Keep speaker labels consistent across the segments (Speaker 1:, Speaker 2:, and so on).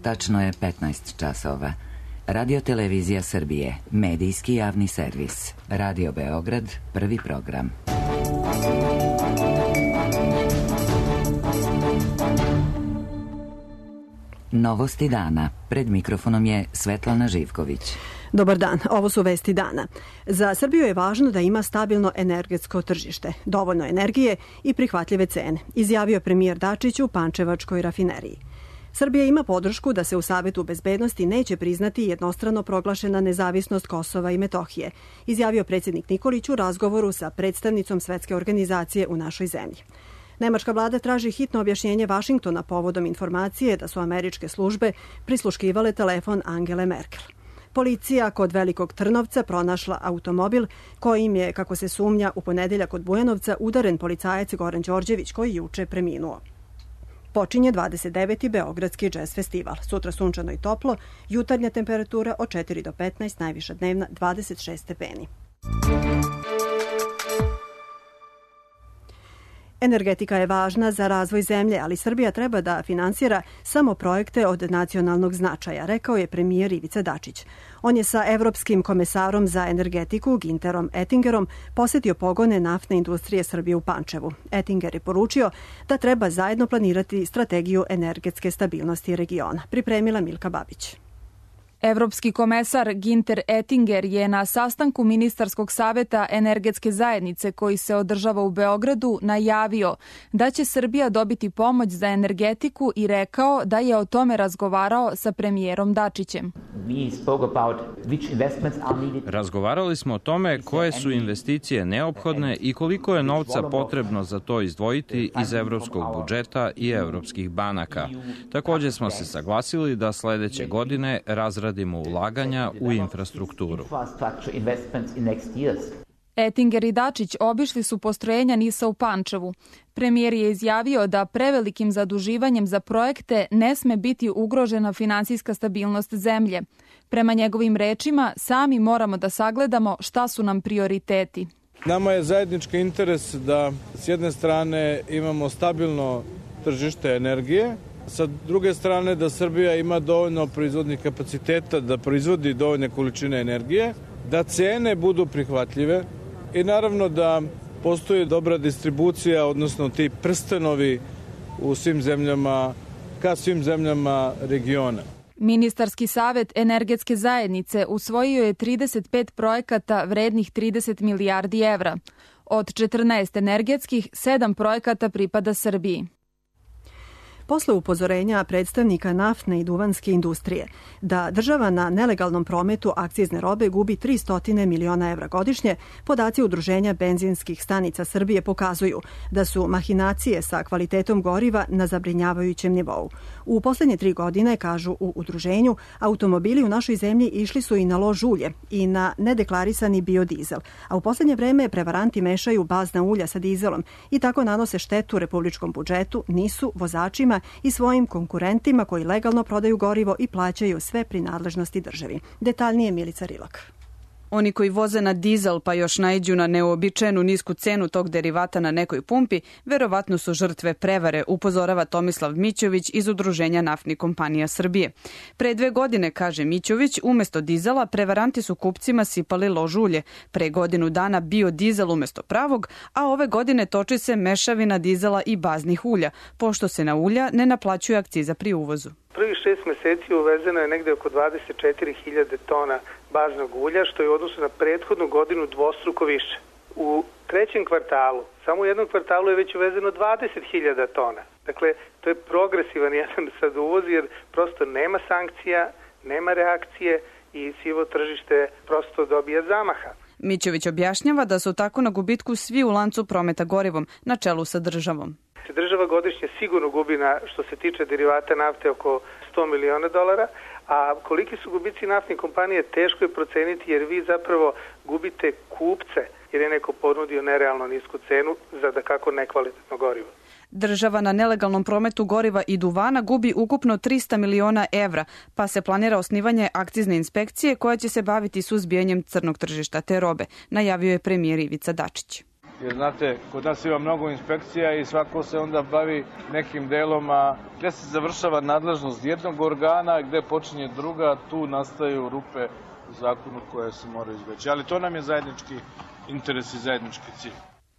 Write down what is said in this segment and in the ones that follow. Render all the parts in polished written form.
Speaker 1: Tačno je 15 časova. Radio Televizija Srbije, medijski javni servis. Radio Beograd, prvi program. Novosti dana. Pred mikrofonom je Svetlana Živković.
Speaker 2: Dobar dan, ovo su vesti dana. Za Srbiju je važno da ima stabilno energetsko tržište, dovoljno energije i prihvatljive cene, izjavio premijer Dačić u Pančevačkoj rafineriji. Srbija ima podršku da se u Savetu bezbednosti neće priznati jednostrano proglašena nezavisnost Kosova i Metohije, izjavio predsjednik Nikolić u razgovoru sa predstavnicom Svetske organizacije u našoj zemlji. Nemačka vlada traži hitno objašnjenje Vašingtona povodom informacije da su američke službe prisluškivale telefon Angele Merkel. Policija kod Velikog Trnovca pronašla automobil kojim je, kako se sumnja, u ponedeljak od Bujanovca udaren policajac Goran Đorđević koji juče preminuo. Počinje 29. Beogradski džez festival. Sutra sunčano i toplo, jutarnja temperatura od 4 do 15, najviša dnevna 26 stepeni. Energetika je važna za razvoj zemlje, ali Srbija treba da finansira samo projekte od nacionalnog značaja, rekao je premijer Ivica Dačić. On je sa evropskim komesarom za energetiku Ginterom Ettingerom posetio pogone naftne industrije Srbije u Pančevu. Ettinger je poručio da treba zajedno planirati strategiju energetske stabilnosti regiona. Pripremila Milka Babić.
Speaker 3: Evropski komesar Ginter Ettinger je na sastanku Ministarskog saveta energetske zajednice koji se održava u Beogradu najavio da će Srbija dobiti pomoć za energetiku i rekao da je o tome razgovarao sa premijerom Dačićem.
Speaker 4: Razgovarali smo o tome koje su investicije neophodne i koliko je novca potrebno za to izdvojiti iz evropskog budžeta i evropskih banaka. Također smo se saglasili da sledeće godine razradimo ulaganja u infrastrukturu.
Speaker 3: Ettinger i Dačić obišli su postrojenja NIS-a u Pančevu. Premijer je izjavio da prevelikim zaduživanjem za projekte ne sme biti ugrožena finansijska stabilnost zemlje. Prema njegovim rečima, sami moramo da sagledamo šta su nam prioriteti.
Speaker 5: Nama je zajednički interes da s jedne strane imamo stabilno tržište energije, sa druge strane da Srbija ima dovoljno proizvodnih kapaciteta da proizvodi dovoljne količine energije, da cene budu prihvatljive i naravno da postoji dobra distribucija, odnosno ti prstenovi u svim zemljama, ka svim zemljama regiona.
Speaker 3: Ministarski savet energetske zajednice usvojio je 35 projekata vrednih 30 milijardi evra. Od 14 energetskih, 7 projekata pripada Srbiji.
Speaker 2: Posle upozorenja predstavnika naftne i duvanske industrije da država na nelegalnom prometu akcizne robe gubi 300 miliona evra godišnje, podaci Udruženja benzinskih stanica Srbije pokazuju da su mahinacije sa kvalitetom goriva na zabrinjavajućem nivou. U poslednje 3 godine, kažu u udruženju, automobili u našoj zemlji išli su i na lož ulje i na nedeklarisani biodizel, a u poslednje vreme prevaranti mešaju bazna ulja sa dizelom i tako nanose štetu republičkom budžetu, NIS-u, vozačima i svojim konkurentima koji legalno prodaju gorivo i plaćaju sve prinadležnosti državi. Detaljnije Milica Rilak.
Speaker 6: Oni koji voze na dizel pa još naiđu na neuobičajenu nisku cenu tog derivata na nekoj pumpi, verovatno su žrtve prevare, upozorava Tomislav Mićović iz Udruženja naftnih kompanija Srbije. Pre 2 godine, kaže Mićović, umesto dizela prevaranti su kupcima sipali lož ulje. Pre godinu dana biodizel umesto pravog, a ove godine toči se mešavina dizela i baznih ulja, pošto se na ulja ne naplaćuje akciza pri uvozu.
Speaker 7: Prvih 6 meseci uvezeno je negde oko 24.000 tona baznog ulja, što je u odnosu na prethodnu godinu dvostruko više. U trećem kvartalu, samo u jednom kvartalu je već uvezeno 20.000 tona. Dakle, to je progresivan jedan sad uvoz jer prosto nema sankcija, nema reakcije i sivo tržište prosto dobija zamaha.
Speaker 6: Mićović objašnjava da su tako na gubitku svi u lancu prometa gorivom, na čelu sa državom.
Speaker 7: Država godišnje sigurno gubi što se tiče derivata nafte oko $100 miliona, a koliki su gubici naftnih kompanija teško je proceniti jer vi zapravo gubite kupce jer je neko ponudio nerealno nisku cenu za dakako nekvalitetno gorivo.
Speaker 6: Država na nelegalnom prometu goriva i duvana gubi ukupno 300 miliona evra, pa se planira osnivanje akcizne inspekcije koja će se baviti suzbijanjem crnog tržišta te robe, najavio je premijer Ivica Dačić.
Speaker 5: Jer znate, kod nas ima mnogo inspekcija i svako se onda bavi nekim delom, a gde se završava nadležnost jednog organa, gde počinje druga, tu nastaju rupe u zakonu koje se moraju izbeći. Ali to nam je zajednički interes i zajednički cilj.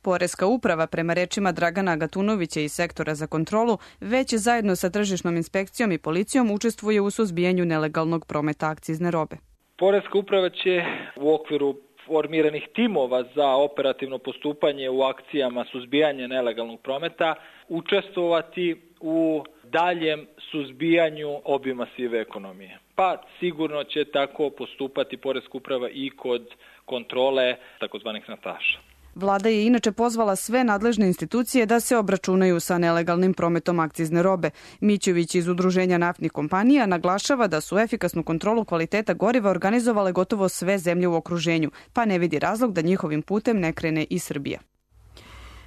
Speaker 6: Poreska uprava, prema rečima Dragana Gatunovića iz sektora za kontrolu, već zajedno sa tržišnom inspekcijom i policijom učestvuje u suzbijanju nelegalnog prometa akcizne robe.
Speaker 8: Poreska uprava će u okviru formiranih timova za operativno postupanje u akcijama suzbijanja nelegalnog prometa učestvovati u daljem suzbijanju obima sive ekonomije. Pa sigurno će tako postupati Poreska uprava i kod kontrole takozvanih nataša.
Speaker 6: Vlada je inače pozvala sve nadležne institucije da se obračunaju sa nelegalnim prometom akcizne robe. Mićović iz Udruženja naftnih kompanija naglašava da su efikasnu kontrolu kvaliteta goriva organizovale gotovo sve zemlje u okruženju, pa ne vidi razlog da njihovim putem ne krene i Srbija.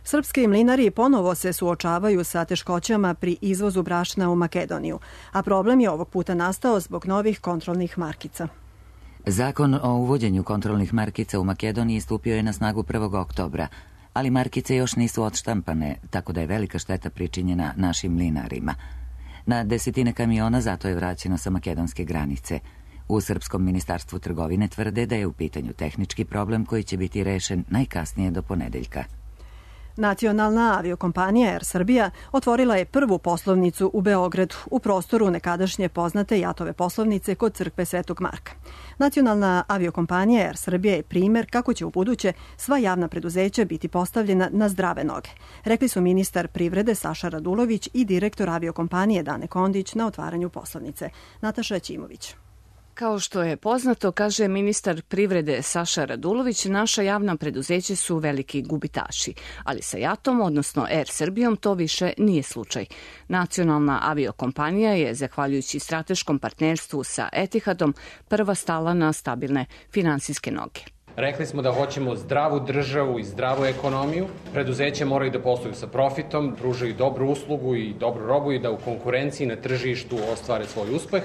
Speaker 2: Srpski mlinari ponovo se suočavaju sa teškoćama pri izvozu brašna u Makedoniju, a problem je ovog puta nastao zbog novih kontrolnih markica.
Speaker 1: Zakon o uvođenju kontrolnih markica u Makedoniji stupio je na snagu 1. oktobra, ali markice još nisu odštampane, tako da je velika šteta pričinjena našim mlinarima. Na desetine kamiona zato je vraćeno sa makedonske granice. U Srpskom ministarstvu trgovine tvrde da je u pitanju tehnički problem koji će biti rešen najkasnije do ponedeljka.
Speaker 2: Nacionalna aviokompanija Air Srbija otvorila je prvu poslovnicu u Beogradu u prostoru nekadašnje poznate Jatove poslovnice kod crkve Svetog Marka. Nacionalna aviokompanija Air Srbija je primer kako će ubuduće sva javna preduzeća biti postavljena na zdrave noge, rekli su ministar privrede Saša Radulović i direktor aviokompanije Dane Kondić na otvaranju poslovnice. Nataša Ćimović.
Speaker 9: Kao što je poznato, kaže ministar privrede Saša Radulović, naša javna preduzeća su veliki gubitaši, ali sa JAT-om, odnosno Air Srbijom, to više nije slučaj. Nacionalna aviokompanija je, zahvaljujući strateškom partnerstvu sa Etihadom, prva stala na stabilne finansijske noge.
Speaker 10: Rekli smo da hoćemo zdravu državu i zdravu ekonomiju. Preduzeće moraju da posluju sa profitom, pružaju dobru uslugu i dobru robu i da u konkurenciji na tržištu ostvare svoj uspeh.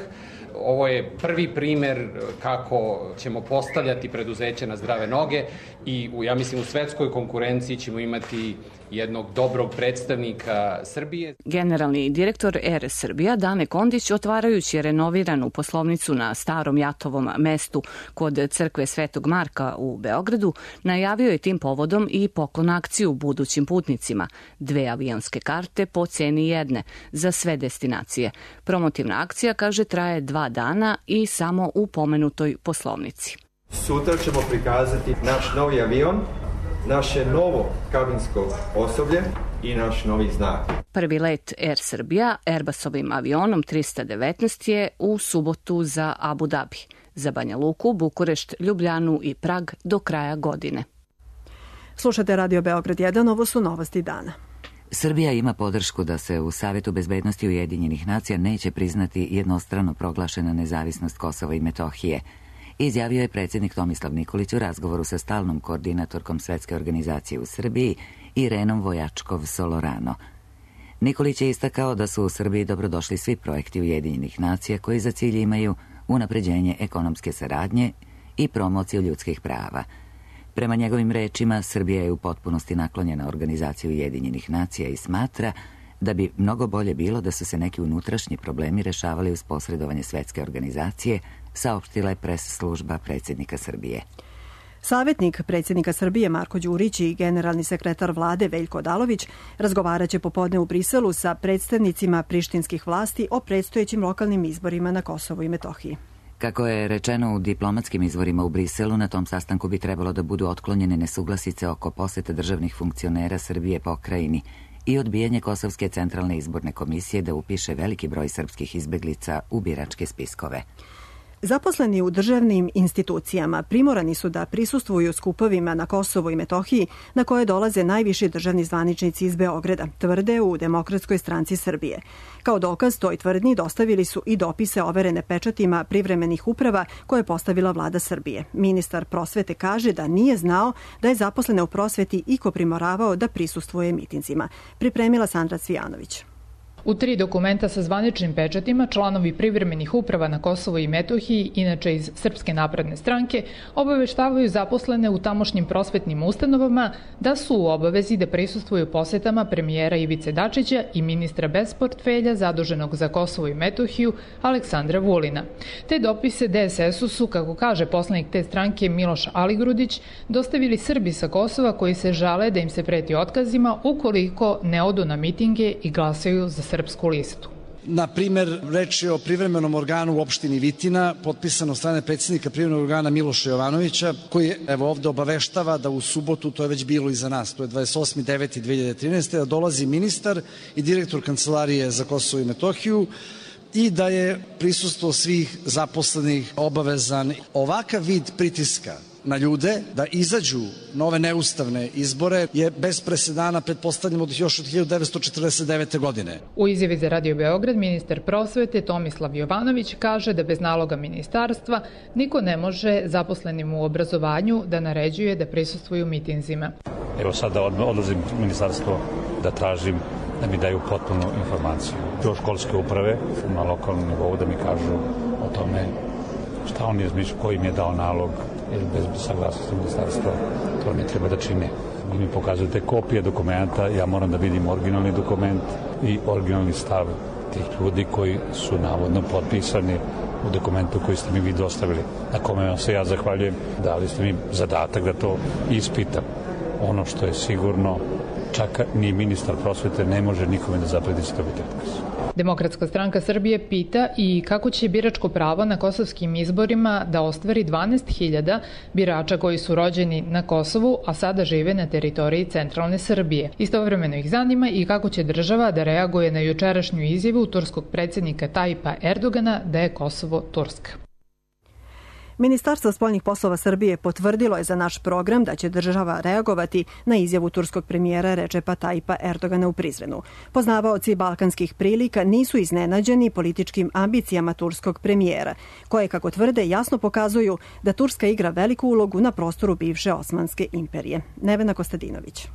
Speaker 10: Ovo je prvi primer kako ćemo postavljati preduzeće na zdrave noge i ja mislim u svetskoj konkurenciji ćemo imati jednog dobrog predstavnika Srbije.
Speaker 9: Generalni direktor Air Srbija Dane Kondić, otvarajući renoviranu poslovnicu na starom Jatovom mestu kod crkve Svetog Marka u Beogradu, najavio je tim povodom i poklon akciju budućim putnicima, 2 avionske karte po ceni jedne za sve destinacije. Promotivna akcija, kaže, traje 2 dana i samo u pomenutoj poslovnici.
Speaker 11: Sutra ćemo prikazati naš novi avion, naše novo kabinsko osoblje i naš novi znak.
Speaker 9: Prvi let Air Srbija Airbusovim avionom 319 je u subotu za Abu Dhabi, za Banja Luku, Bukurešt, Ljubljanu i Prag do kraja godine.
Speaker 2: Slušate Radio Beograd 1, ovo su novosti dana.
Speaker 1: Srbija ima podršku da se u Savetu bezbednosti Ujedinjenih nacija neće priznati jednostrano proglašena nezavisnost Kosova i Metohije, izjavio je predsjednik Tomislav Nikolić u razgovoru sa stalnom koordinatorkom Svetske organizacije u Srbiji Irenom Vojačkov-Solorano. Nikolić je istakao da su u Srbiji dobrodošli svi projekti Ujedinjenih nacija koji za cilj imaju unapređenje ekonomske saradnje i promociju ljudskih prava. Prema njegovim rečima, Srbija je u potpunosti naklonjena organizaciji Ujedinjenih nacija i smatra da bi mnogo bolje bilo da su se neki unutrašnji problemi rešavali uz posredovanje Svetske organizacije, saopštila je pres služba predsjednika Srbije.
Speaker 2: Savjetnik predsjednika Srbije Marko Đurić i generalni sekretar vlade Veljko Odalović razgovaraće popodne u Briselu sa predstavnicima prištinskih vlasti o predstojećim lokalnim izborima na Kosovu i Metohiji.
Speaker 1: Kako je rečeno u diplomatskim izvorima u Briselu, na tom sastanku bi trebalo da budu otklonjene nesuglasice oko posete državnih funkcionera Srbije pokrajini i odbijanje Kosovske centralne izborne komisije da upiše veliki broj srpskih izbeglica u biračke spiskove.
Speaker 2: Zaposleni u državnim institucijama primorani su da prisustvuju skupovima na Kosovu i Metohiji na koje dolaze najviši državni zvaničnici iz Beograda, tvrde u Demokratskoj stranci Srbije. Kao dokaz toj tvrdnji dostavili su i dopise overene pečatima privremenih uprava koje je postavila vlada Srbije. Ministar prosvete kaže da nije znao da je zaposlene u prosveti iko primoravao da prisustvuje mitinzima. Pripremila Sandra Cvijanović.
Speaker 12: U 3 dokumenta sa zvaničnim pečatima članovi privremenih uprava na Kosovo i Metohiji, inače iz Srpske napredne stranke, obaveštavaju zaposlene u tamošnjim prosvetnim ustanovama da su u obavezi da prisustvuju posetama premijera Ivice Dačića i ministra bez portfelja zaduženog za Kosovo i Metohiju Aleksandra Vulina. Te dopise DSS-u su, kako kaže poslanik te stranke Miloš Aligrudić, dostavili Srbi sa Kosova koji se žale da im se preti otkazima ukoliko ne odu na mitinge i glasaju za Srpsku listu.
Speaker 13: Na primer, reč je o privremenom organu u opštini Vitina, potpisano od strane predsjednika privremenog organa Miloša Jovanovića, koji ovde obaveštava da u subotu, to je već bilo iza nas, to je 28.9.2013. da dolazi ministar i direktor Kancelarije za Kosovo i Metohiju i da je prisustvo svih zaposlenih obavezan. Ovakav vid pritiska na ljude da izađu na ove neustavne izbore je bez presedana, pretpostavljamo još od 1949. godine.
Speaker 12: U izjavi za Radio Beograd ministar prosvete Tomislav Jovanović kaže da bez naloga ministarstva niko ne može zaposlenim u obrazovanju da naređuje da prisustvuju mitinzima.
Speaker 14: Evo sada odlazim u ministarstvo da tražim da mi daju potpunu informaciju. Do školske uprave na lokalnom nivou da mi kažu o tome šta on je izmišljao, koji im je dao nalog, jer bez saglasnosti ministarstva to ne treba da čine. Vi mi pokazujete kopije dokumenta, ja moram da vidim originalni dokument i originalni stav tih ljudi koji su navodno potpisani u dokumentu koji ste mi vi dostavili, na kome vam se ja zahvaljujem. Dali ste mi zadatak da to ispitam. Ono što je sigurno, čak ni ministar prosvete ne može nikome da zapredi se dobiti otkaz.
Speaker 12: Demokratska stranka Srbije pita i kako će biračko pravo na kosovskim izborima da ostvari 12.000 birača koji su rođeni na Kosovu, a sada žive na teritoriji centralne Srbije. Istovremeno ih zanima i kako će država da reaguje na jučerašnju izjavu turskog predsjednika Tajipa Erdogana da je Kosovo Turska.
Speaker 2: Ministarstvo spoljnih poslova Srbije potvrdilo je za naš program da će država reagovati na izjavu turskog premijera Recepa Tajipa Erdogana u Prizrenu. Poznavaoci balkanskih prilika nisu iznenađeni političkim ambicijama turskog premijera, koje, kako tvrde, jasno pokazuju da Turska igra veliku ulogu na prostoru bivše Osmanske imperije. Nevena Kostadinović.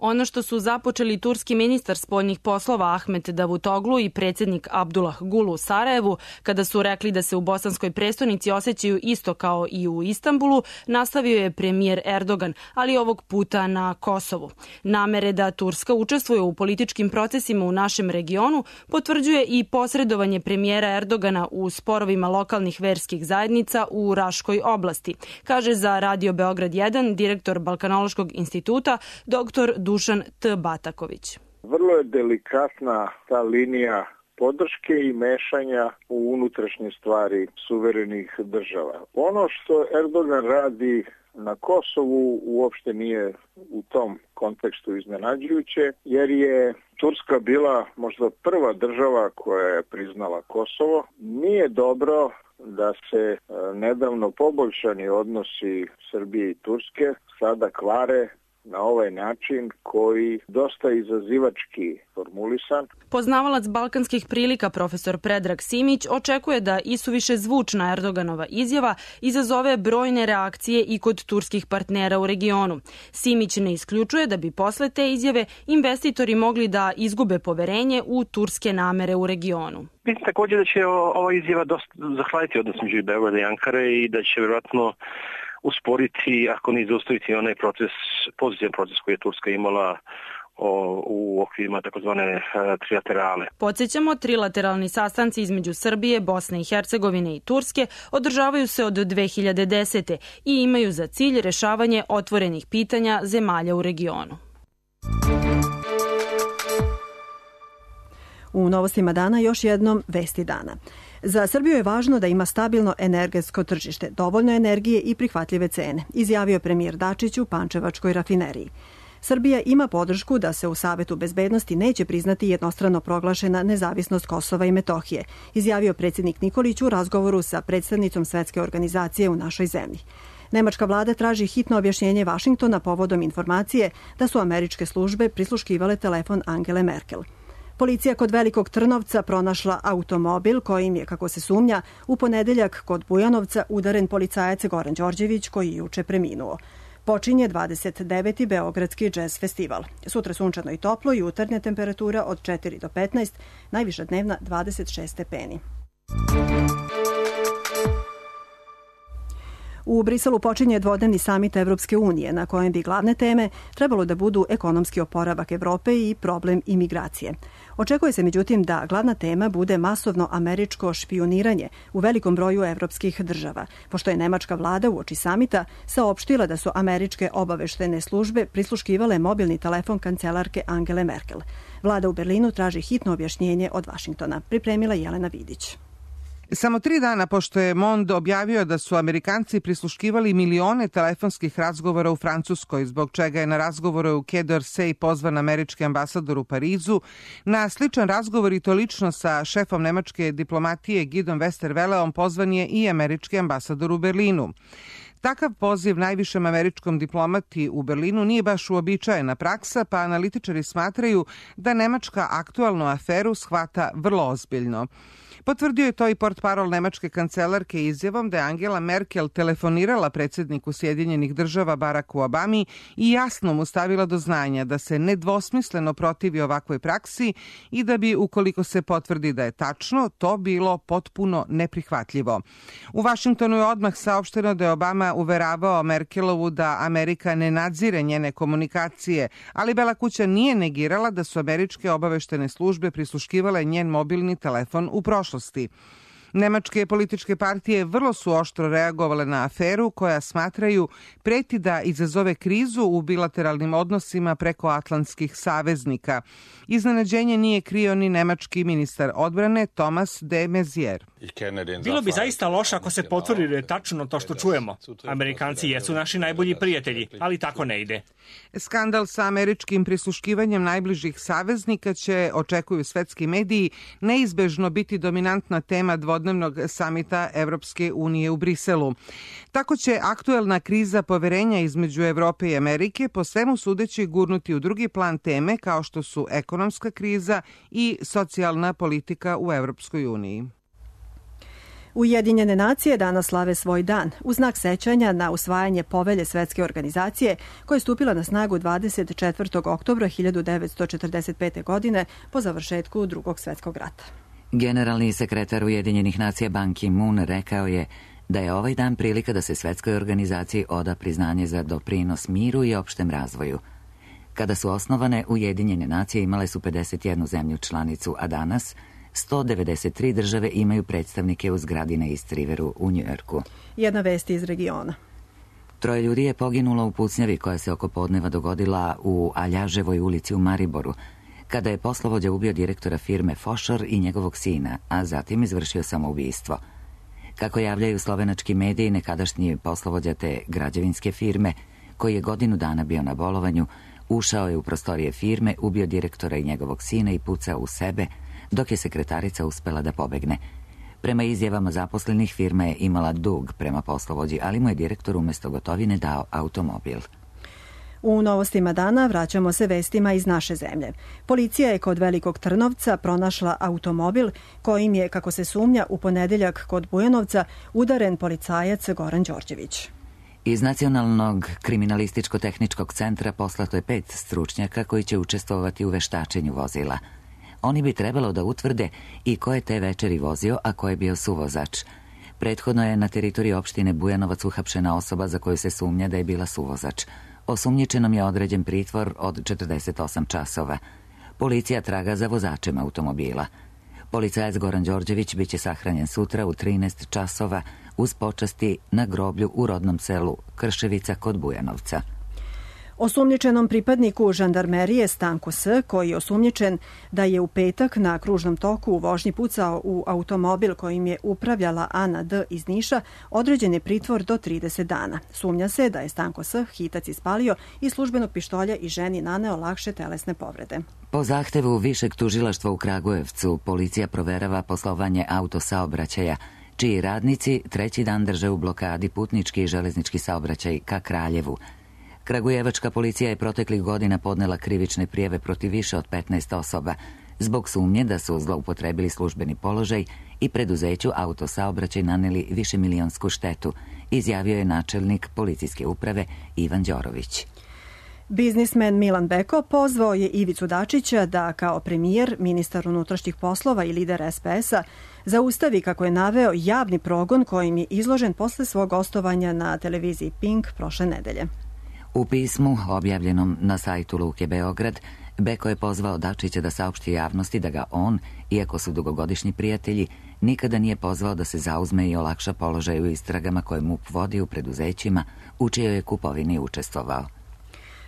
Speaker 15: Ono što su započeli turski ministar spoljnih poslova Ahmet Davutoglu i predsjednik Abdullah Gulu u Sarajevu, kada su rekli da se u bosanskoj prestonici osjećaju isto kao i u Istanbulu, nastavio je premijer Erdogan, ali ovog puta na Kosovu. Namere da Turska učestvuje u političkim procesima u našem regionu potvrđuje i posredovanje premijera Erdogana u sporovima lokalnih verskih zajednica u Raškoj oblasti, kaže za Radio Beograd 1 direktor Balkanološkog instituta dr. Dušan T. Bataković.
Speaker 16: Vrlo je delikatna ta linija podrške i mešanja u unutrašnje stvari suverenih država. Ono što Erdogan radi na Kosovu uopšte nije u tom kontekstu iznenađujuće, jer je Turska bila možda prva država koja je priznala Kosovo. Nije dobro da se nedavno poboljšani odnosi Srbije i Turske sada kvare na ovaj način koji dosta izazivački formulisan.
Speaker 15: Poznavalac balkanskih prilika profesor Predrag Simić očekuje da isuviše zvučna Erdoganova izjava izazove brojne reakcije i kod turskih partnera u regionu. Simić ne isključuje da bi posle te izjave investitori mogli da izgube poverenje u turske namere u regionu.
Speaker 17: Mislim također da će ova izjava dosta zahvaliti odnos među Beograda i Ankare i da će vjerojatno usporiti, ako ne zaustaviti onaj proces, pozitivan proces koji je Turska imala u okvirima takozvane trilaterale.
Speaker 15: Podsjećamo, trilateralni sastanci između Srbije, Bosne i Hercegovine i Turske održavaju se od 2010. i imaju za cilj rešavanje otvorenih pitanja zemalja u regionu.
Speaker 2: U novostima dana još jednom vesti dana. Za Srbiju je važno da ima stabilno energetsko tržište, dovoljno energije i prihvatljive cene, izjavio premijer Dačić u Pančevačkoj rafineriji. Srbija ima podršku da se u Savetu bezbednosti neće priznati jednostrano proglašena nezavisnost Kosova i Metohije, izjavio predsjednik Nikolić u razgovoru sa predstavnicom Svetske organizacije u našoj zemlji. Nemačka vlada traži hitno objašnjenje Vašingtona povodom informacije da su američke službe prisluškivale telefon Angele Merkel. Policija kod Velikog Trnovca pronašla automobil kojim je, kako se sumnja, u ponedeljak kod Bujanovca udaren policajac Goran Đorđević koji je juče preminuo. Počinje 29. Beogradski džez festival. Sutra sunčano i toplo, jutarnja temperatura od 4 do 15, najviša dnevna 26 stepeni. U Briselu počinje dvodnevni samit Evropske unije, na kojem bi glavne teme trebalo da budu ekonomski oporavak Evrope i problem imigracije. Očekuje se međutim da glavna tema bude masovno američko špijuniranje u velikom broju evropskih država, pošto je nemačka vlada uoči samita saopštila da su američke obaveštene službe prisluškivale mobilni telefon kancelarke Angele Merkel. Vlada u Berlinu traži hitno objašnjenje od Vašingtona. Pripremila Jelena Vidić.
Speaker 18: Samo 3 dana pošto je Monde objavio da su Amerikanci prisluškivali milione telefonskih razgovora u Francuskoj, zbog čega je na razgovore u Quai d'Orsay pozvan američki ambasador u Parizu, na sličan razgovor i to lično sa šefom nemačke diplomatije Gidom Westerwelleom pozvan je i američki ambasador u Berlinu. Takav poziv najvišem američkom diplomati u Berlinu nije baš uobičajena praksa, pa analitičari smatraju da Nemačka aktualnu aferu shvata vrlo ozbiljno. Potvrdio je to i portparol nemačke kancelarke izjavom da je Angela Merkel telefonirala predsjedniku Sjedinjenih država Baracku Obami i jasno mu stavila do znanja da se nedvosmisleno protivi ovakvoj praksi i da bi, ukoliko se potvrdi da je tačno, to bilo potpuno neprihvatljivo. U Vašingtonu je odmah saopšteno da je Obama uveravao Merkelovu da Amerika ne nadzire njene komunikacije, ali Bela kuća nije negirala da su američke obaveštene službe prisluškivale njen mobilni telefon u prošlosti. Nemačke političke partije vrlo su oštro reagovale na aferu koja smatraju preti da izazove krizu u bilateralnim odnosima preko atlantskih saveznika. Iznenađenje nije krio ni nemački ministar odbrane Thomas de Maizière.
Speaker 19: Bilo bi zaista loše ako se potvrdi da je tačno to što čujemo. Amerikanci jesu naši najbolji prijatelji, ali tako ne ide.
Speaker 18: Skandal sa američkim prisluškivanjem najbližih saveznika će, očekuju svetski mediji, neizbežno biti dominantna tema dvodnevnog samita Evropske unije u Briselu. Tako će aktuelna kriza poverenja između Evrope i Amerike po svemu sudeći gurnuti u drugi plan teme kao što su ekonomska kriza i socijalna politika u Evropskoj uniji.
Speaker 2: Ujedinjene nacije danas slave svoj dan u znak sećanja na usvajanje povelje Svetske organizacije koja je stupila na snagu 24. oktobra 1945. godine po završetku Drugog svjetskog rata.
Speaker 1: Generalni sekretar Ujedinjenih nacija Ban Ki-moon rekao je da je ovaj dan prilika da se Svetskoj organizaciji oda priznanje za doprinos miru i opštem razvoju. Kada su osnovane, Ujedinjene nacije imale su 51 zemlju članicu, a danas 193 države imaju predstavnike u zgradi na East Riveru u Njujorku.
Speaker 2: Jedna vest iz regiona.
Speaker 1: 3 ljudi je poginulo u pucnjavi koja se oko podneva dogodila u Aljaževoj ulici u Mariboru, kada je poslovođa ubio direktora firme Fošor i njegovog sina, a zatim izvršio samoubistvo. Kako javljaju slovenački mediji, nekadašnji poslovođa te građevinske firme, koji je godinu dana bio na bolovanju, ušao je u prostorije firme, ubio direktora i njegovog sina i pucao u sebe, dok je sekretarica uspela da pobegne. Prema izjavama zaposlenih, firma je imala dug prema poslovođi, ali mu je direktor umjesto gotovine dao automobil.
Speaker 2: U novostima dana vraćamo se vestima iz naše zemlje. Policija je kod Velikog Trnovca pronašla automobil kojim je, kako se sumnja, u ponedeljak kod Bujanovca udaren policajac Goran Đorđević.
Speaker 1: Iz Nacionalnog kriminalističko-tehničkog centra poslato je 5 stručnjaka koji će učestvovati u veštačenju vozila. Oni bi trebalo da utvrde i ko je te večeri vozio, a ko je bio suvozač. Prethodno je na teritoriji opštine Bujanovac uhapšena osoba za koju se sumnja da je bila suvozač. Osumnjičenom je određen pritvor od 48 časova. Policija traga za vozačem automobila. Policajac Goran Đorđević biće sahranjen sutra u 13 časova uz počasti na groblju u rodnom selu Krševica kod Bujanovca.
Speaker 2: Osumnjičenom pripadniku žandarmerije Stanku S, koji je osumnjičen da je u petak na kružnom toku u vožnji pucao u automobil kojim je upravljala Ana D. iz Niša, određen je pritvor do 30 dana. Sumnja se da je Stanko S hitac ispalio i službenog pištolja i ženi naneo lakše telesne povrede.
Speaker 1: Po zahtevu Višeg tužilaštva u Kragujevcu, policija proverava poslovanje autosaobraćaja, čiji radnici 3. dan drže u blokadi putnički i železnički saobraćaj ka Kraljevu. Kragujevačka policija je proteklih godina podnela krivične prijave protiv više od 15 osoba zbog sumnje da su zloupotrebili službeni položaj i preduzeću autosaobraćaj naneli višemilionsku štetu, izjavio je načelnik policijske uprave Ivan Đorović.
Speaker 2: Biznismen Milan Beko pozvao je Ivicu Dačića da kao premijer, ministar unutrašnjih poslova i lider SPS-a zaustavi, kako je naveo, javni progon kojim je izložen posle svog gostovanja na televiziji Pink prošle nedelje.
Speaker 1: U pismu objavljenom na sajtu Luke Beograd, Beko je pozvao Dačića da saopšti javnosti da ga on, iako su dugogodišnji prijatelji, nikada nije pozvao da se zauzme i olakša položaj u istragama koje MUP vodi u preduzećima u čijoj je kupovini učestvovao.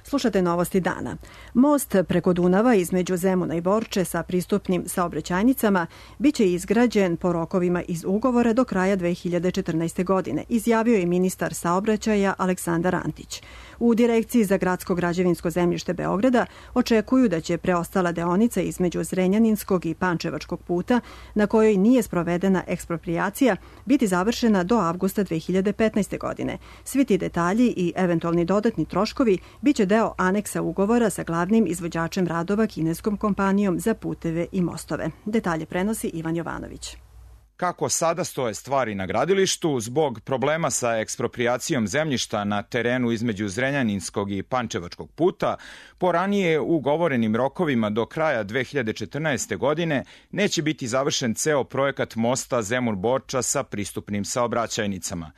Speaker 2: Slušate novosti dana. Most preko Dunava između Zemuna i Borče sa pristupnim saobraćajnicama biće izgrađen po rokovima iz ugovora do kraja 2014. godine, izjavio je ministar saobraćaja Aleksandar Antić. U Direkciji za gradsko građevinsko zemljište Beograda očekuju da će preostala deonica između Zrenjaninskog i Pančevačkog puta, na kojoj nije sprovedena eksproprijacija, biti završena do avgusta 2015. godine. Svi ti detalji i eventualni dodatni troškovi biće deo aneksa ugovora sa glavnim izvođačem radova kineskom kompanijom za puteve i mostove. Detalje prenosi Ivan Jovanović.
Speaker 20: Kako sada stoje stvari na gradilištu, zbog problema sa eksproprijacijom zemljišta na terenu između Zrenjaninskog i Pančevačkog puta, po ranije ugovorenim rokovima do kraja 2014. godine neće biti završen ceo projekat mosta Zemun-Borča sa pristupnim saobraćajnicama.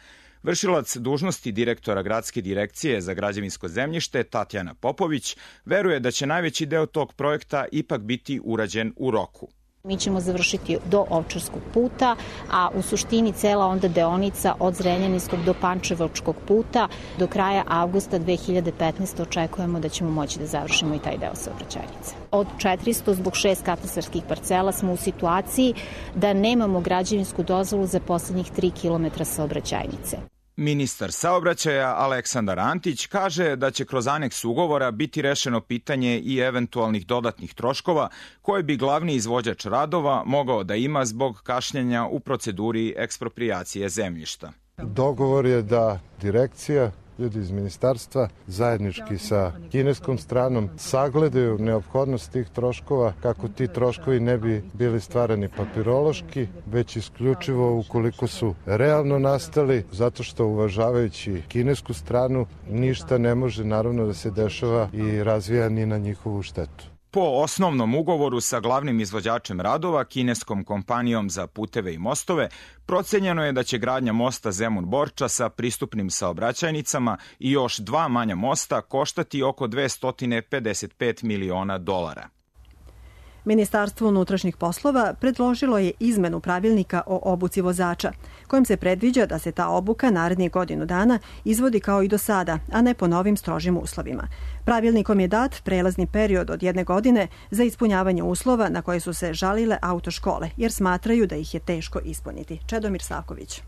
Speaker 20: Vršilac dužnosti direktora Gradske direkcije za građevinsko zemljište Tatjana Popović veruje da će najveći deo tog projekta ipak biti urađen u roku.
Speaker 21: Mi ćemo završiti do Ovčarskog puta, a u suštini cela onda deonica od Zrenjaninskog do Pančevačkog puta do kraja avgusta 2015. očekujemo da ćemo moći da završimo i taj deo saobraćajnice. Od 400 zbog 6 katastarskih parcela smo u situaciji da nemamo građevinsku dozvolu za poslednjih 3 km saobraćajnice.
Speaker 20: Ministar saobraćaja Aleksandar Antić kaže da će kroz aneks ugovora biti rešeno pitanje i eventualnih dodatnih troškova koje bi glavni izvođač radova mogao da ima zbog kašnjenja u proceduri eksproprijacije zemljišta.
Speaker 22: Dogovor je da direkcija, ljudi iz ministarstva, zajednički sa kineskom stranom sagledaju neophodnost tih troškova, kako ti troškovi ne bi bili stvarani papirološki, već isključivo ukoliko su realno nastali, zato što uvažavajući kinesku stranu ništa ne može naravno da se dešava i razvija ni na njihovu štetu.
Speaker 20: Po osnovnom ugovoru sa glavnim izvođačem radova, kineskom kompanijom za puteve i mostove, procenjeno je da će gradnja mosta Zemun-Borča sa pristupnim saobraćajnicama i još 2 manja mosta koštati oko $255 miliona.
Speaker 2: Ministarstvo unutrašnjih poslova predložilo je izmenu pravilnika o obuci vozača, kojim se predviđa da se ta obuka narednih godinu dana izvodi kao i do sada, a ne po novim strožim uslovima. Pravilnikom je dat prelazni period od 1 godine za ispunjavanje uslova na koje su se žalile autoškole, jer smatraju da ih je teško ispuniti. Čedomir Savković.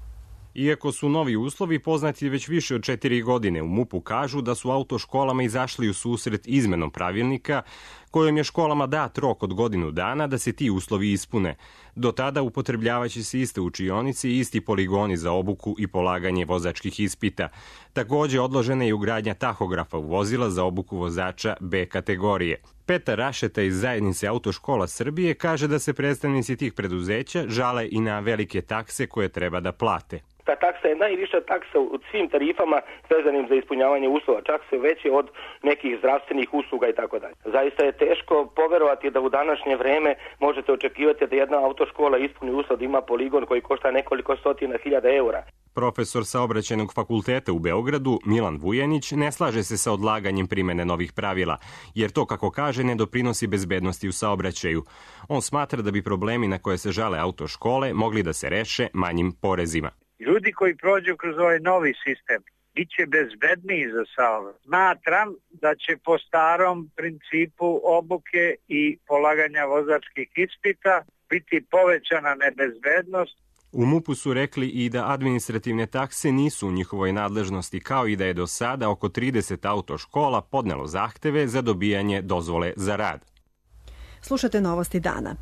Speaker 23: Iako su novi uslovi poznati već više od 4 godine, u MUP-u kažu da su autoškolama izašli u susret izmenom pravilnika, kojom je školama dat rok od godinu dana da se ti uslovi ispune. Do tada upotrebljavaće se iste učionice i isti poligoni za obuku i polaganje vozačkih ispita. Takođe odložena je ugradnja tahografa u vozila za obuku vozača B kategorije. Petar Rašeta iz Zajednice autoškola Srbije kaže da se predstavnici tih preduzeća žale i na velike takse koje treba da plate.
Speaker 24: Ta taksa je najviša taksa u svim tarifama vezanim za ispunjavanje uslova, čak se veće od nekih zdravstvenih usluga i tako dalje. Zaista je teško poverovati da u današnje vreme možete očekivati da jedna autoškola ispuni uslov da ima poligon koji košta nekoliko stotina hiljada eura.
Speaker 23: Profesor Saobraćajnog fakulteta u Beogradu, Milan Vujanić, ne slaže se sa odlaganjem primene novih pravila, jer to, kako kaže, ne doprinosi bezbednosti u saobraćaju. On smatra da bi problemi na koje se žale autoškole mogli da se reše manjim porezima.
Speaker 25: Ljudi koji prođu kroz ovaj novi sistem biće bezbedniji za saobraćaj. Smatram da će po starom principu obuke i polaganja vozačkih ispita biti povećana nebezbednost.
Speaker 23: U MUP-u su rekli i da administrativne takse nisu u njihovoj nadležnosti, kao i da je do sada oko 30 autoškola podnelo zahteve za dobijanje dozvole za rad.
Speaker 2: Slušate novosti dana.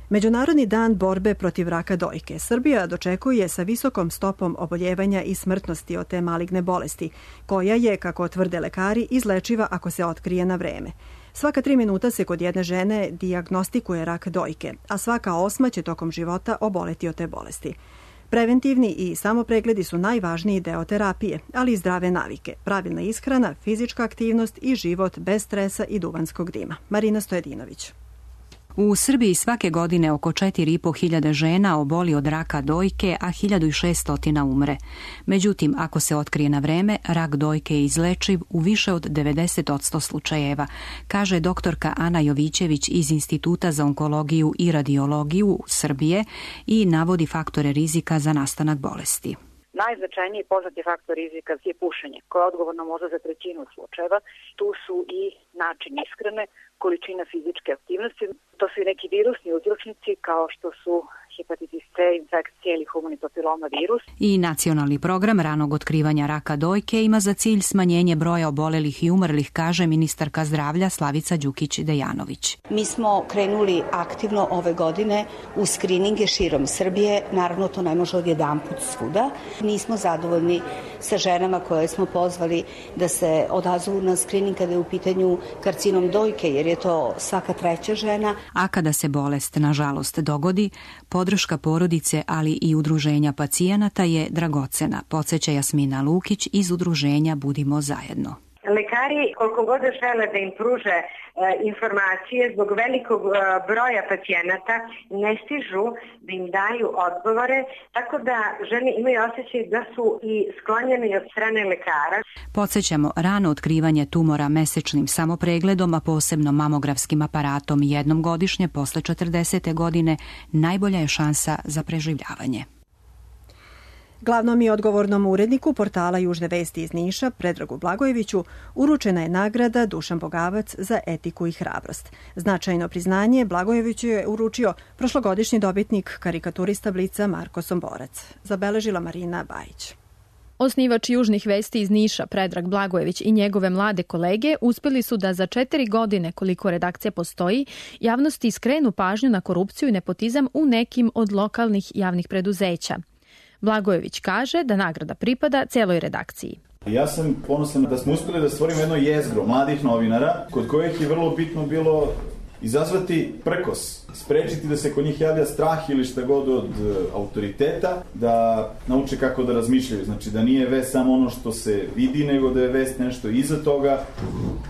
Speaker 2: Međunarodni dan borbe protiv raka dojke Srbija dočekuje sa visokom stopom oboljevanja i smrtnosti od te maligne bolesti, koja je, kako tvrde lekari, izlečiva ako se otkrije na vreme. Svaka 3 minuta se kod jedne žene dijagnostikuje rak dojke, a svaka 8. će tokom života oboleti od te bolesti. Preventivni i samopregledi su najvažniji deo terapije, ali i zdrave navike, pravilna ishrana, fizička aktivnost i život bez stresa i duvanskog dima. Marina Stojedinović.
Speaker 3: U Srbiji svake godine oko 4.500 žena oboli od raka dojke, a 1.600 umre. Međutim, ako se otkrije na vreme, rak dojke je izlečiv u više od 90% slučajeva, kaže doktorka Ana Jovićević iz Instituta za onkologiju i radiologiju Srbije i navodi faktore rizika za nastanak bolesti.
Speaker 4: Najznačajniji poznati faktor rizika je pušenje, koje je odgovorno možda za 1/3 slučajeva. Tu su i način ishrane, količina fizičke aktivnosti. To su i neki virusni uzročnici kao što su hepatitis C, infekcije ili humani papiloma virus.
Speaker 3: I nacionalni program ranog otkrivanja raka dojke ima za cilj smanjenje broja obolelih i umrlih, kaže ministarka zdravlja Slavica Đukić-Dejanović.
Speaker 5: Mi smo krenuli aktivno ove godine u skrininge širom Srbije. Naravno, to ne može odjedanput svuda. Nismo zadovoljni sa ženama koje smo pozvali da se odazovu na skrining kada je u pitanju karcinom dojke, jer je to svaka 3. žena.
Speaker 3: A kada se bolest, nažalost, dogodi, podrška porodice, ali i udruženja pacijenata je dragocena, podsjeća Jasmina Lukić iz udruženja Budimo zajedno.
Speaker 7: Lekari, koliko god žele da im pruže informacije, zbog velikog broja pacijenata ne stižu da im daju odgovore, tako da žene imaju osjećaj da su i sklonjene od strane lekara.
Speaker 3: Podsjećamo, rano otkrivanje tumora mesečnim samopregledom, a posebno mamografskim aparatom jednom godišnje posle 40. godine, najbolja je šansa za preživljavanje.
Speaker 2: Glavnom i odgovornom uredniku portala Južne vesti iz Niša, Predragu Blagojeviću, uručena je nagrada Dušan Bogavac za etiku i hrabrost. Značajno priznanje Blagojeviću je uručio prošlogodišnji dobitnik karikaturista Blica Marko Somborac. Zabeležila Marina Bajić.
Speaker 8: Osnivač Južnih vesti iz Niša, Predrag Blagojević i njegove mlade kolege uspjeli su da za 4 godine, koliko redakcija postoji, javnosti skrenu pažnju na korupciju i nepotizam u nekim od lokalnih javnih preduzeća. Blagojević kaže da nagrada pripada celoj redakciji.
Speaker 26: Ja sam ponosan da smo uspjeli da stvorimo jedno jezgro mladih novinara, kod kojih je vrlo bitno bilo izazvati prkos, sprečiti da se kod njih javlja strah ili šta god od autoriteta, da nauče kako da razmišljaju. Znači da nije vest samo ono što se vidi, nego da je vest nešto iza toga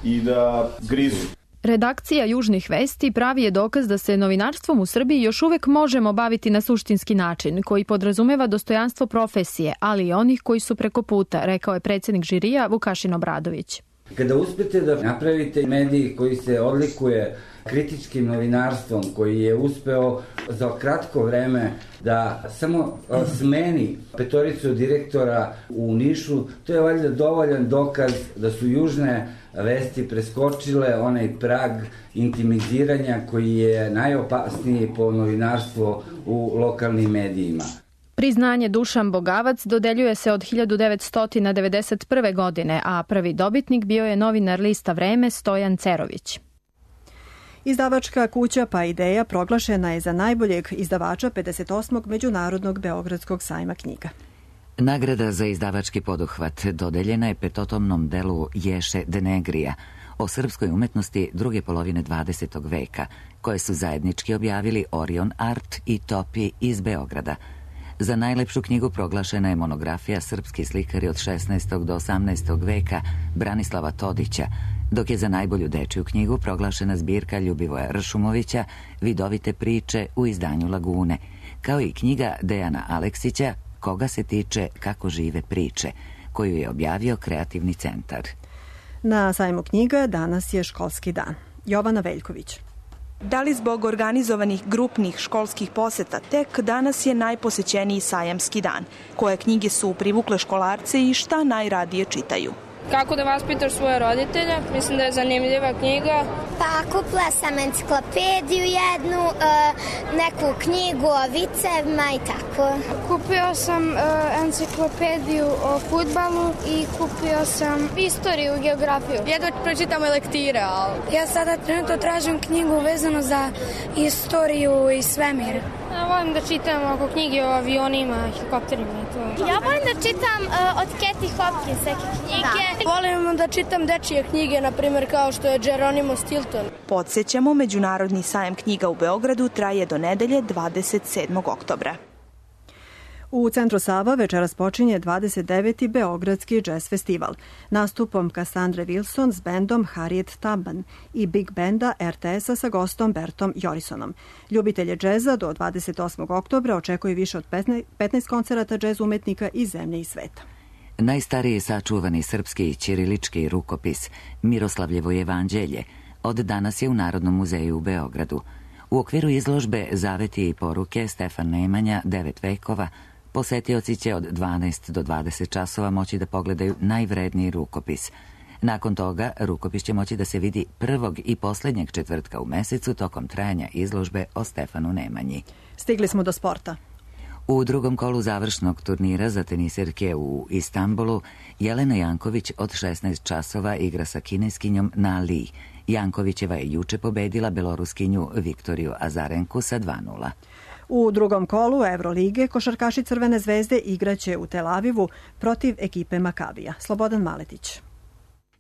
Speaker 26: i da grizu.
Speaker 8: Redakcija Južnih vesti pravi je dokaz da se novinarstvom u Srbiji još uvek možemo baviti na suštinski način, koji podrazumeva dostojanstvo profesije, ali i onih koji su preko puta, rekao je predsjednik žirija Vukašin Obradović.
Speaker 27: Kada uspete da napravite medij koji se odlikuje kritičkim novinarstvom, koji je uspeo za kratko vreme da samo smeni 5 direktora u Nišu, to je valjda dovoljan dokaz da su Južne vesti preskočile onaj prag intimiziranja koji je najopasniji po novinarstvo u lokalnim medijima.
Speaker 8: Priznanje Dušan Bogavac dodeljuje se od 1991. godine, a prvi dobitnik bio je novinar lista Vreme Stojan Cerović.
Speaker 2: Izdavačka kuća Pa Ideja proglašena je za najboljeg izdavača 58. Međunarodnog Beogradskog sajma knjiga.
Speaker 1: Nagrada za izdavački poduhvat dodeljena je petotomnom delu Ješe Denegrija o srpskoj umetnosti druge polovine 20. veka, koje su zajednički objavili Orion Art i Topi iz Beograda. Za najlepšu knjigu proglašena je monografija Srpski slikari od 16. do 18. veka Branislava Todića, dok je za najbolju dečiju knjigu proglašena zbirka Ljubivoja Ršumovića Vidovite priče u izdanju Lagune, kao i knjiga Dejana Aleksića Koga se tiče kako žive priče, koju je objavio Kreativni centar.
Speaker 2: Na sajmu knjiga danas je školski dan. Jovana Veljković.
Speaker 28: Da li zbog organizovanih grupnih školskih poseta, tek danas je najposećeniji sajamski dan. Koje knjige su privukle školarce i šta najradije čitaju?
Speaker 29: Kako da vaspitaš svoje roditelje? Mislim da je zanimljiva knjiga.
Speaker 30: Pa kupila sam enciklopediju jednu, neku knjigu o vicevima i tako.
Speaker 29: Kupio sam enciklopediju o fudbalu i kupio sam istoriju i geografiju. Jedva pročitamo lektire, ali... Ja sada trenutno tražim knjigu vezano za istoriju i svemir. Ja volim da čitam oko knjige o avionima, helikopterima i to.
Speaker 30: Ja volim da čitam od Kathy Hopkins neke knjige.
Speaker 29: Da. Volim da čitam dečije knjige, na primjer kao što je Geronimo Stilton.
Speaker 28: Podsjećamo, Međunarodni sajam knjiga u Beogradu traje do nedelje 27. oktobra.
Speaker 2: U centru Sava večeras počinje 29. Beogradski džez festival. Nastupom Cassandre Wilson s bendom Harriet Tubman i Big Benda RTS-a sa gostom Bertom Jorisonom. Ljubitelje džeza do 28. oktobra očekuje više od 15 koncerata džez umetnika iz zemlje i sveta.
Speaker 1: Najstariji sačuvani srpski ćirilički rukopis Miroslavljevo evanđelje od danas je u Narodnom muzeju u Beogradu. U okviru izložbe Zaveti i poruke Stefan Nemanja 9 vekova posetioci će od 12 do 20 časova moći da pogledaju najvredniji rukopis. Nakon toga, rukopis će moći da se vidi prvog i posljednjeg četvrtka u mesecu tokom trajanja izložbe o Stefanu Nemanji.
Speaker 2: Stigli smo do sporta.
Speaker 1: U drugom kolu završnog turnira za tenisirke u Istanbulu, Jelena Janković od 16 časova igra sa kineskinjom Na Li. Jankovićeva je juče pobedila beloruskinju Viktoriju Azarenku sa 2:0.
Speaker 2: U drugom kolu Evrolige košarkaši Crvene zvezde igraće u Tel Avivu protiv ekipe Makabija. Slobodan Maletić.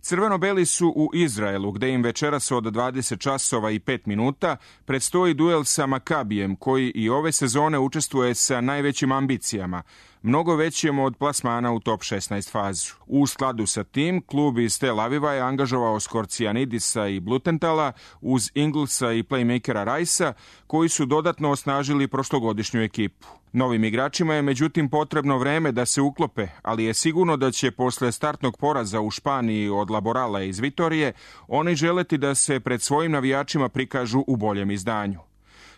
Speaker 6: Crveno-beli su u Izraelu, gde im večeras od 20 časova i 5 minuta predstoji duel sa Makabijem, koji i ove sezone učestvuje sa najvećim ambicijama, mnogo većim od plasmana u top 16 fazu. U skladu sa tim, klub iz Tel Aviva je angažovao Skorcijanidisa i Blutentala uz Inglesa i playmakera Rajsa, koji su dodatno osnažili prošlogodišnju ekipu. Novim igračima je međutim potrebno vreme da se uklope, ali je sigurno da će posle startnog poraza u Španiji od Laborala iz Vitorije oni želeti da se pred svojim navijačima prikažu u boljem izdanju.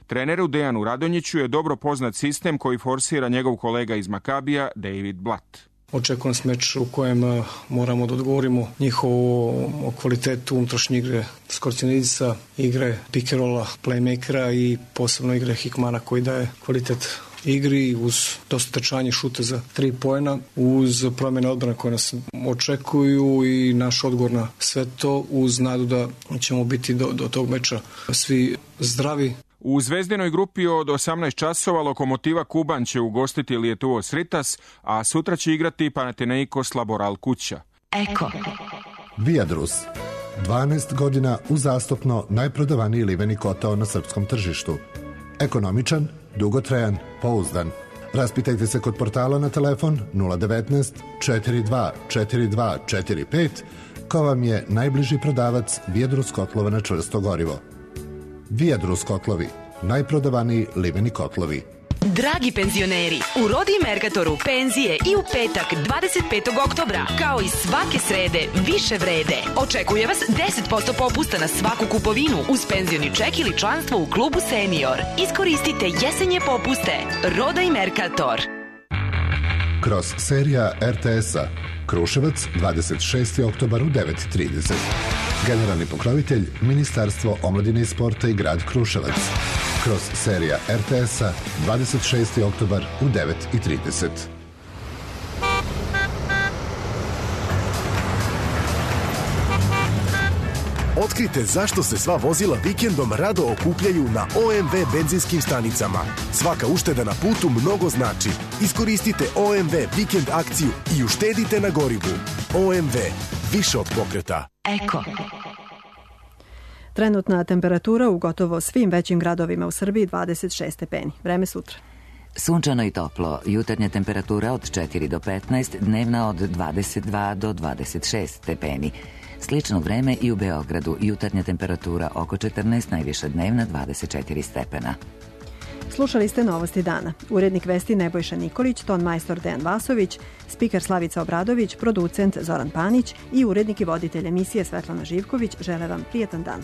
Speaker 6: Treneru Dejanu Radonjiću je dobro poznat sistem koji forsira njegov kolega iz Makabija, David Blatt.
Speaker 9: Očekujem se meč u kojem moramo da odgovorimo njihovu kvalitetu unutrašnje igre Skorcijanidisa, igre pick-and-rolla, playmakera i posebno igre Hikmana koji daje kvalitet igri uz dosta trčanje šuta za 3 poena, uz promjene odbrane koje nas očekuju i naš odgovor na sve to uz nadu da ćemo biti do tog meča svi zdravi.
Speaker 6: U zvezdinoj grupi od 18 časova Lokomotiva Kuban će ugostiti Lietuvo Sritas, a sutra će igrati Panathinaikos Laboral kuća.
Speaker 10: Eko. Viadrus. 12 godina uzastopno najprodavaniji liveni kotao na srpskom tržištu. Ekonomičan, dugotrajan, pouzdan. Raspitajte se kod portala na telefon 019 42 42 45 ko vam je najbliži prodavac Viadrus kotlova na čvrsto gorivo. Viadrus kotlovi, najprodavaniji liveni kotlovi.
Speaker 11: Dragi penzioneri, u Rodi Mercatoru penzije i u petak 25. oktobra, kao i svake srede, više vrede. Očekuje vas 10% popusta na svaku kupovinu uz penzioni ček ili članstvo u klubu Senior. Iskoristite jesenje popuste. Roda i Mercator.
Speaker 10: Kroz serija RTS-a Kruševac, 26. oktobar u 9:30. Generalni pokrovitelj Ministarstvo omladine i sporta i grad Kruševac. Kroz serija RTS-a 26. oktobar u 9:30.
Speaker 12: Otkrite zašto se sva vozila vikendom rado okupljaju na OMV benzinskim stanicama. Svaka ušteda na putu mnogo znači. Iskoristite OMV vikend akciju i uštedite na gorivu. OMV. Više od pokreta.
Speaker 11: Eko.
Speaker 2: Trenutna temperatura u gotovo svim većim gradovima u Srbiji 26 stepeni. Vreme sutra.
Speaker 1: Sunčano i toplo, jutarnja temperatura od 4 do 15, dnevna od 22 do 26 stepeni. Slično vreme i u Beogradu, jutarnja temperatura oko 14, najviša dnevna 24 stepena.
Speaker 2: Slušali ste Novosti dana. Urednik vesti Nebojša Nikolić, ton majstor Dejan Vasović, spiker Slavica Obradović, producent Zoran Panić i urednik i voditelj emisije Svetlana Živković žele vam prijetan dan.